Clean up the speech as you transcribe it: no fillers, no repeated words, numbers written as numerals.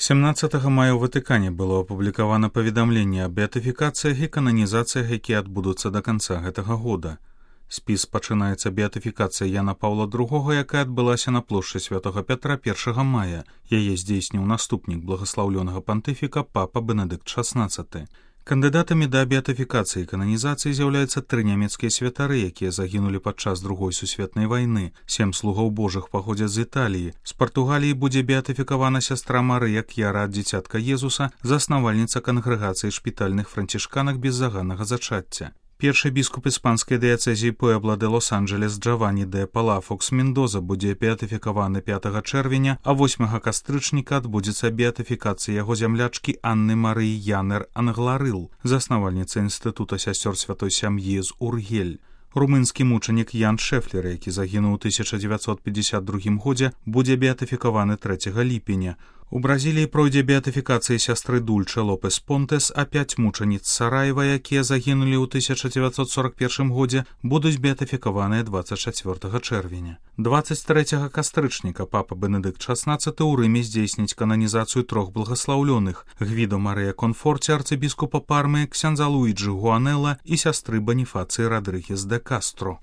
17 мая ў Ватыкане было апублікавана паведамленне аб беатыфікацыях і кананізацыях, якія адбудуцца да канца гэтага года. Спіс пачынаецца беатыфікацыя Яна Паўла II, якая адбылася на плошчы Святога Пятра 1 мая. Яе здзейсніў наступнік благаслаўлёнага пантыфіка папа Бенедыкт XVI. Кандыдатамі да беатыфікацыі і кананізацыі з'яўляюцца 3 нямецкія святары, якія загінулі падчас Другой сусветнай вайны. 7 слугаў Божых паходзяць з Італіі. З Партугаліі будзе беатыфікавана сястра Марыя К'яра ад дзіцятка Езуса, заснавальніца кангрэгацыі шпітальных францішканак беззаганнага зачацця. Першы біскуп іспанскай дыяцэзіі Пуэбла де Лос-Анджелес Джавані де Палафокс Мендоза будзе беатыфікаваны 5 чэрвеня, а 8 кастрычніка адбудзецца беатыфікацыя яго зямлячкі Анны Марыі Янер Англарыл, заснавальніца інстытута сясцёр святой сям'і з Ургель. Румынскі мучанік Ян Шэфлер, які загінуў у 1952 годзе, будзе беатыфікаваны 3 ліпеня. У Бразіліі пройдзе беатыфікацыя сястры Дульчэ Лопес Понтес, а 5 мучаніц Сараева, якія загінулі ў 1941 годзе, будуць беатыфікаваныя 24 чэрвеня. 23 кастрычніка папа Бенедыкт XVI ў Рыме здзейсніць кананізацыю 3 благаслаўлёных – Гвідо Марыя Конфорці, арцыбіскупа Пармы, ксяндза Луіджы Гуанелла і сястры Баніфацыі Радрыгес де Кастро.